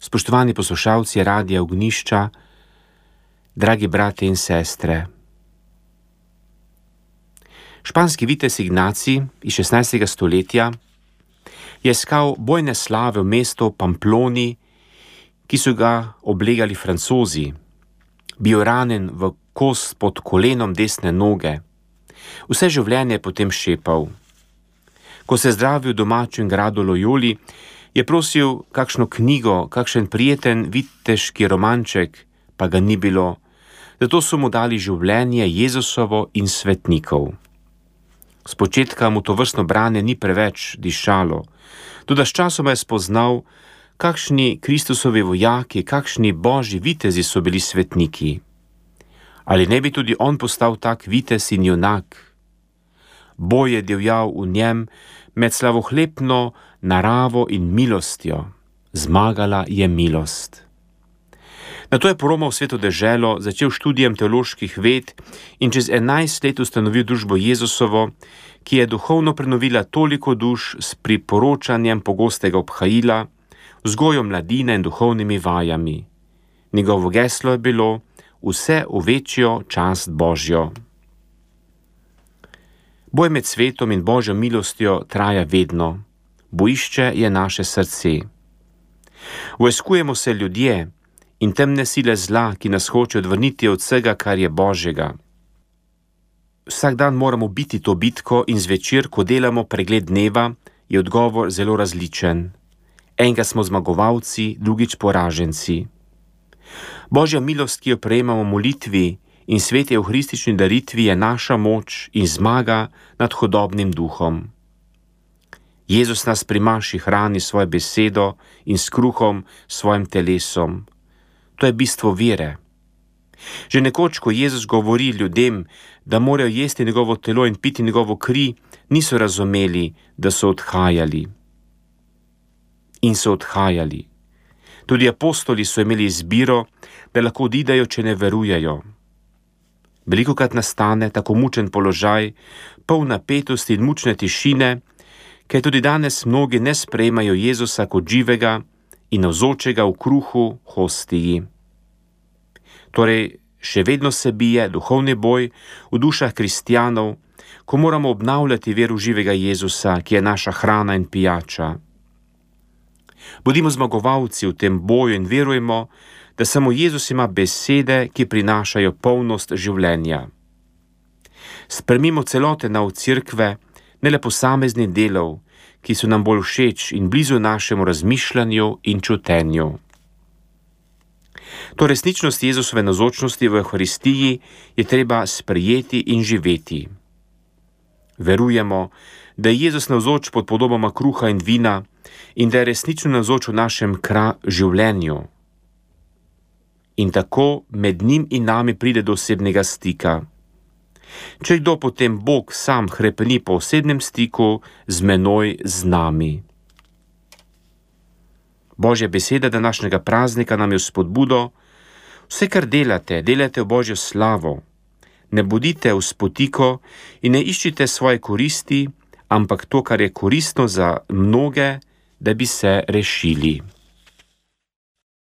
Spoštovani poslušalci Radia Ognjišča, dragi brate in sestre. Španski vitez Ignacij iz 16. stoletja je iskal bojne slave v mestu Pamploni, ki so ga oblegali Francozi. Bil ranjen v kost pod kolenom desne noge. Vse življenje je potem šepal. Ko se je zdravil v domačem gradu Loyoli, je prosil kakšno knjigo, kakšen prijeten viteški romanček, pa ga ni bilo. Zato so mu dali življenje Jezusovo in svetnikov. Spočetka mu to vrstno branje ni preveč dišalo, toda sčasoma je spoznal, kakšni Kristusovi vojaki, kakšni božji vitezi so bili svetniki. Ali ne bi tudi on postal tak vitez in junak? Boj je divjal v njem med slavohlepno naravo in milostjo. Zmagala je milost. Nato je poromal sveto deželo, začel študijem teoloških ved in čez 11 let ustanovil družbo Jezusovo, ki je duhovno prenovila toliko duš s priporočanjem pogostega obhajila, vzgojo mladine in duhovnimi vajami. Njegovo geslo je bilo vse v večjo čast Božjo. Boj med svetom in Božjo milostjo traja vedno. Bojišče je naše srce. Vojskujemo se ljudje in temne sile zla, ki nas hoče odvrniti od vsega, kar je Božjega. Vsak dan moramo biti to bitko in zvečer, ko delamo pregled dneva, je odgovor zelo različen. Enkrat smo zmagovalci, drugič poraženci. Božja milost, ki jo prejemamo v molitvi in sveti evharistični daritvi, je naša moč in zmaga nad hudobnim duhom. Jezus nas pri maši hrani svojo besedo in s kruhom svojim telesom. To je bistvo vere. Že nekoč, ko Jezus govori ljudem, da morajo jesti njegovo telo in piti njegovo kri, niso razumeli, da so odhajali. In so odhajali. Tudi apostoli so imeli izbiro, da lahko odidejo, če ne verujejo. Velikokrat nastane tako mučen položaj, poln napetosti in mučne tišine, ker tudi danes mnogi ne sprejemajo Jezusa kot živega in navzočega v kruhu hostiji. Torej, še vedno se bije duhovni boj v dušah kristjanov, ko moramo obnavljati veru živega Jezusa, ki je naša hrana in pijača. Bodimo zmagovalci v tem boju in verujemo, da samo Jezus ima besede, ki prinašajo polnost življenja. Spremimo celote v cerkve, ne le posameznih delov, ki so nam bolj všeč in blizu našemu razmišljanju in čutenju. To resničnost Jezusove navzočnosti v Evharistiji je treba sprejeti in živeti. Verujemo, da je Jezus navzoč pod podobama kruha in vina in da je resnično navzoč v našem življenju. In tako med njim in nami pride do osebnega stika. Če kdo, potem Bog sam hrepeni po osebnem stiku z menoj, z nami. Božja beseda današnjega praznika nam je v spodbudo: vse, kar delate, delate v Božjo slavo. Ne bodite v spotiko in ne iščite svoje koristi, ampak to, kar je koristno za mnoge, da bi se rešili.